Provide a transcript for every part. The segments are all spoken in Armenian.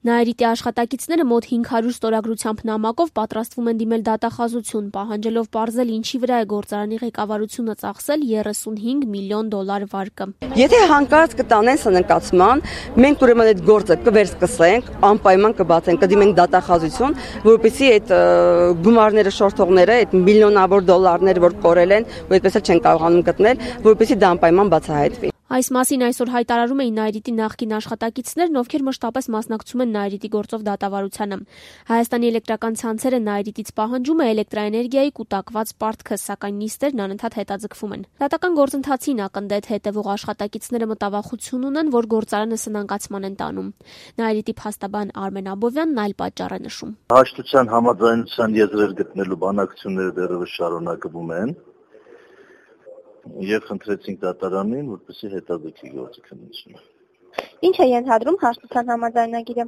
Նաիրիտի աշխատակիցները մոտ 500 ստորագրությամբ նամակով պատրաստվում են դիմել դատախազություն, պահանջելով պարզել ինչի վրա է գործարանի ղեկավարությունը ծախսել $35 միլիոն վարկը։ Եթե հանկարծ կտանեն սնանկացման, մենք ուրեմն այդ գործը կվերսկսենք, անպայման կբացենք, կդիմենք դատախազություն, որպեսզի այդ գումարները շորթողները, այդ միլիոնավոր դոլարները, որ կորել են, ու այդպես էլ չեն կարողանում գտնել, որպեսզի դա անպայման բացահայտվի։ Այս մասին այսօր հայտարարում էին Նաիրիտի նախկին աշխատակիցներն, ովքեր մշտապես մասնակցում են Նաիրիտի գործով դատավարությանը։ Հայաստանի էլեկտրական ցանցերը Նաիրիտից պահանջում է էլեկտրաէներգիայի կուտակված պարտքը, սակայն նիստերն անընդհատ հետաձգվում են։ Դատական գործընթացին ակնդետ հետևող աշխատակիցները մտավախություն ունեն, որ գործարանը սնանկացման են տանում։ Նաիրիտի փաստաբան Արմեն Աբովյանն այլ պատճառ է նշում։ Հաշտության համաձայնության եզրեր գտնելու բանակցությունները դեռևս շարունակվում են։ Եվ խնդրեցինք դատարանին, որպեսզի հետաձգի գործի քննությունը։ Ինչ է ենթադրում հաշտության համաձայնագիրը։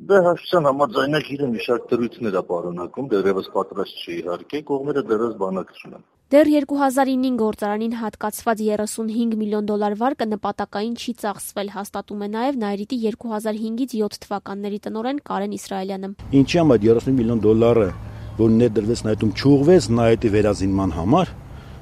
Դա հաշտության համաձայնագիրը մի շարք դրույթներ է պարունակում, դեռևս պատրաստ չի իհարկե, կողմերը դեռևս բանակցում են։ Դեռ 2009 գործարանին հատկացված $35 միլիոն վարկը նպատակային չի ծախսվել, հաստատում է նաև Նաիրիտի 2005-ից 7 թվականների տնօրեն Կարեն Իսրայելյանը։ Ինչի համար $35 միլիոն, որ ներդրվեց Նաիրիտում, չուղղվեց Նաիրիտի վերազինման համար,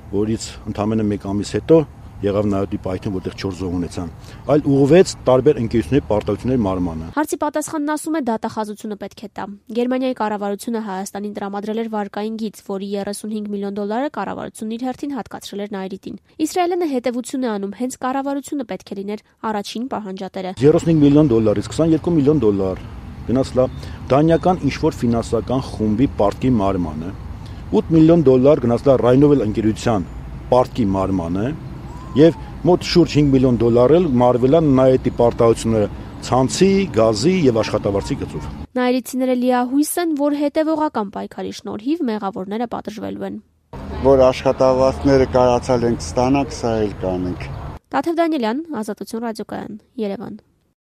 որից ընդամենը 1 ամիս հետո եղավ Նաիրիտի պայթյուն, որտեղ 4 զոհ ունեցան, այլ ուղղվեց տարբեր ընկերությունների պարտավորությունների մարմանը։ Հարցի պատասխանն ասում է դատախազությունը պետք է տա։ Գերմանիայի կառավարությունը Հայաստանին տրամադրել էր վարկային գիծ, որի $35 միլիոն կառավարությունն իր հերթին հատկացրել էր Նաիրիտին։ Իսրայելը հետևություն է անում, հենց կառավարությունը պետք է լիներ առաջին պահանջատերը։ $35 միլիոնից $22 միլիոն գնաց լա դանիական ինչ-որ ֆինանսական խումբի պարտքի մարմանը, $8 միլիոն գնաց լա Rheinmetall ընկերության պարտքի մարմանը եւ մոտ շուրջ $5 միլիոն էլ մարվել են Նաիրիտի պարտավորությունները ցանցի, գազի եւ աշխատավարձի գծով։ Նաիրիտցիները լիահույս են, որ հետևողական պայքարի շնորհիվ մեղավորները պատժվելու են։ Որ աշխատավարձները կարացալ ենք ստանանք, սա էլ կանենք։ Տաթև Դանիելյան, Ազատություն ռադիոկայան, Երևան։